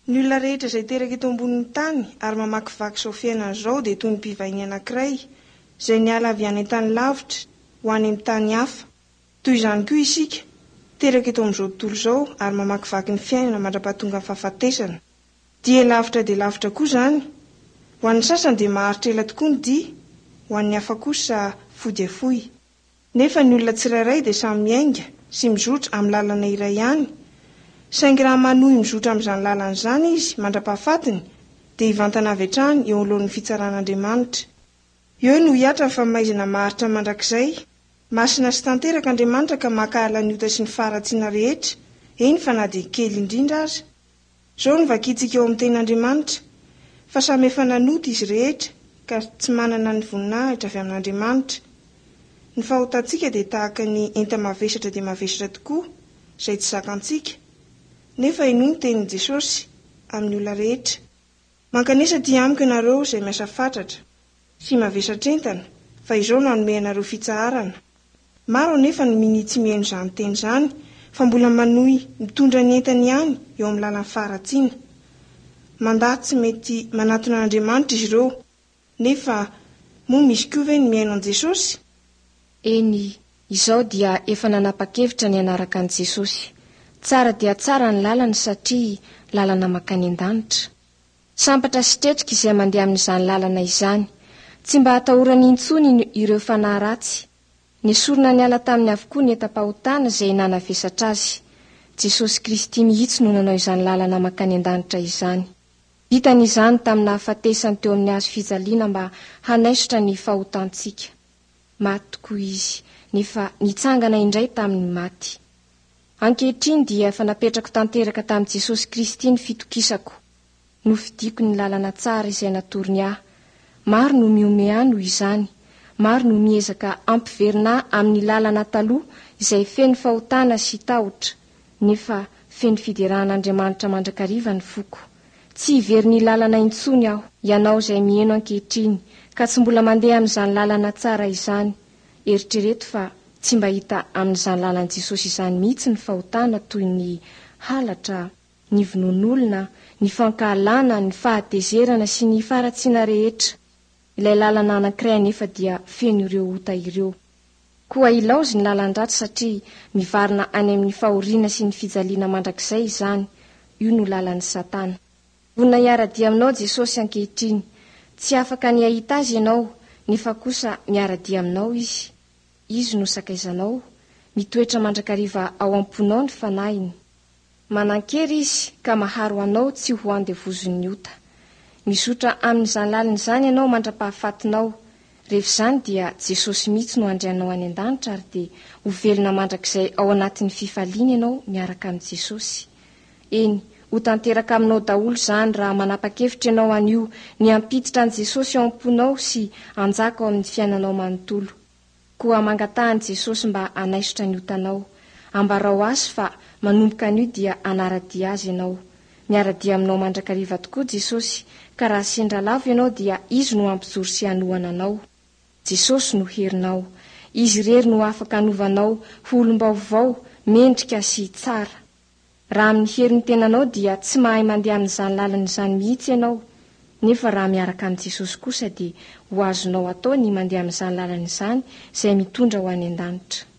Ny olona rehetra izay teraka eto ambonin'ny tany ary mamakivaky izao fiainana izao dia toy ny mpivahiny anankiray izay niala avy any an-tany lavitra ho any amin'ny tany hafa. Toy izany koa isika, teraka eto amin'izao tontolo izao ary mamakivaky ny fiainana mandra-pahatongan'ny fahafatesana. Dia lavitra dia lavitra koa izany. Ho an'ny sasany dia maharitra ela tokoa ny dia, ho an'ny hafa kosa fohy dia fohy. Nefa ny olona tsirairay dia samy miainga sy mizotra amin'ny lalana iray ihany. Saingy raha manohy mizotra amin'izany lalana izany izy mandra-pahafatiny, dia hivantana avy hatrany eo anoloan'ny fitsaran'Andriamanitra. Eo no hihatra ny famaizana maharitra mandrakizay. Masina sy tanteraka Andriamanitra ka mankahala ny ota sy ny faharatsiana rehetra, eny fa na dia kely indrindra aza. Izao no vakintsika ao amin'ny Tenin'Andriamanitra, Fa samy efa nanota izy rehetra, ka tsy manana ny voninahitra avy amin'Andriamanitra. Ny fahotantsika dia tahaka ny enta-mavesatra dia mavesatra tokoa, izay tsy zakantsika. Nefa henoy ny tenin'i Jesosy amin'ny olona rehetra, Mankanesa aty amiko ianareo izay miasa fatratra sy mavesatr'entana, fa izao no hanome anareo fitsaharana. Maro anefa no minia tsy mihaino izany teny izany fa mbola manohy mitondra ny entany ihany eo amin'ny lalan'ny faharatsiana. Mandà tsy mety manatona an'Andriamanitra izy ireo. Nefa moa misy koa ve ny mihaino an'i Jesosy? Eny, izaho dia efa nanapa-kevitra ny hanaraka an'i Jesosy. Tsara dia tsara ny lalany satria lalana mankany an-danitra. Sambatra sy tretrika izay mandeha amin'izany lalana izany. Tsy mba atahorany intsony ireo fanahy ratsy. Nesorina niala taminy avokoa ny entam-pahotana izay nanavesatra azy. Jesosy Kristy mihitsy no nanao izany lalana mankany an-danitra izany. Vitany izany tamin'ny nahafatesany teo amin'ny hazo fijaliana mba hanaisotra ny fahotantsika. Maty tokoa Izy, nefa nitsangana indray tamin'ny maty. Ankehitriny dia efa napetrako tanteraka tamin'i Jesosy Kristy ny fitokisako. Nofidiko ny lalana tsara izay natorony ahy. Maro no mihomehy ahy noho izany. Maro no miezaka hampiverina ahy amin'ny lalana taloha izay feno fahotana sy tahotra. Nefa feno fiderana an'Andriamanitra mandrakariva ny foko. Tsy hiverina lalana intsony aho. Ianao izay miheno ankehitriny ka tsy mbola mandeha amin'izany lalana tsara izany, eritrereto fa tsy mba hita amin'izany lalan'i Jesosy izany mihitsy ny fahotana toy ny halatra, ny vonoan'olona, ny fankahalana, ny fahatezerana sy ny faharatsiana rehetra. Ilay lalana anankiray anefa dia feno ireo ota ireo. Koa ilaozy ny lalan-dratsy satria mivarina any amin'ny fahoriana sy ny fijaliana mandrakizay izany, io no lalan'i Satana. Vonona hiara-dia aminao Jesosy ankehitriny. Tsy afaka ny hahita Azy ianao, nefa kosa miara-dia aminao Izy. Izy no sakaizanao. Mitoetra mandrakariva ao am-ponao ny Fanahiny. Manan-kery Izy ka maharo anao tsy ho andevozin'ny ota. Mizotra amin'izany lalana izany ianao mandra-pahafatinao. Rehefa izany dia Jesosy mihitsy no handray anao any an-danitra ary dia ho velona mandrakizay ao anatin'ny fifaliana ianao miaraka amin'i Jesosy. Eny, ho tanteraka aminao daholo izany raha manapa-kevitra ianao anio ny hampiditra an'i Jesosy ao am-ponao sy hanjaka ao amin'ny fiainanao manontolo. Koa mangataha an'i Jesosy mba hanaisotra ny otanao. Ambarao Azy fa manomboka anio dia hanara-dia Azy ianao. Miara-dia aminao mandrakariva tokoa Jesosy, ka raha sendra lavo ianao dia Izy no hampijoro sy hanohana anao. Jesosy no herinao. Izy irery no afaka hanova anao ho olom-baovao, mendrika sy tsara. Raha amin'ny herin'ny tenanao dia tsy mahay mandeha amin'izany lalana izany mihitsy ianao, nefa raha miaraka amin'i Jesosy kosa dia ho azonao atao ny mandeha amin'izany lalana izany izay mitondra ho any an-danitra.